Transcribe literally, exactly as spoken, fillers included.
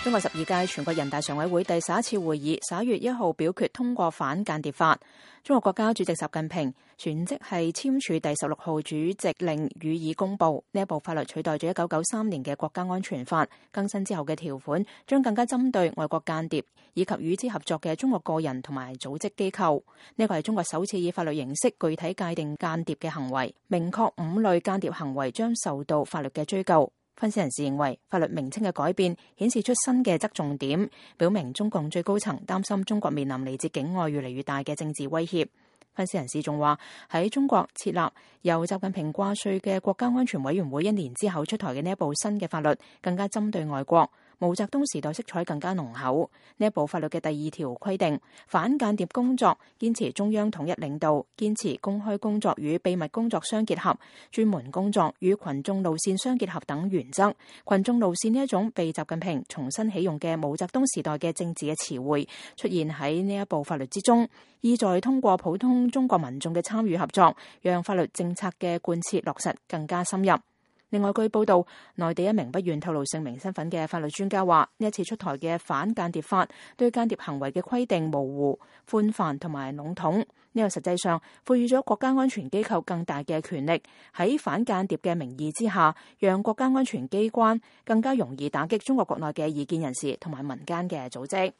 中國十二屆全國人大常委會第十一次會議十一月一號表決通過反間諜法。中國國家主席習近平旋即係簽署第十六號主席令予以公布。呢一部法律取代咗一九九三年嘅國家安全法，更新之後嘅條款將更加針對外國間諜以及與之合作嘅中國個人同埋組織機構。呢個係中國首次以法律形式具體界定間諜嘅行為，明確五類間諜行為將受到法律嘅追究。分析人士認為，法律名稱嘅改變顯示出新嘅側重點，表明中共最高層擔心中國面臨嚟自境外越嚟越大嘅政治威脅。分析人士仲話，喺中國設立由習近平掛帥嘅國家安全委員會一年之後出台嘅呢一部新嘅法律，更加針對外國，毛澤東時代色彩更加濃厚。呢一部法律嘅第二條規定，反間諜工作堅持中央統一領導，堅持公開工作與秘密工作相結合，專門工作與群眾路線相結合等原則。群眾路線呢一種被習近平重新起用嘅毛澤東時代嘅政治嘅詞彙出現喺呢一部法律之中，意在通過普通中國民眾嘅參與合作，讓法律政策嘅貫徹落實更加深入。另外，據報道，內地一名不願透露姓名身份嘅法律專家話，呢一次出台嘅反間諜法對間諜行為嘅規定模糊、寬泛同埋籠統，呢個實際上賦予咗國家安全機構更大嘅權力，喺反間諜嘅名義之下，讓國家安全機關更加容易打擊中國國內嘅異見人士同埋民間嘅組織。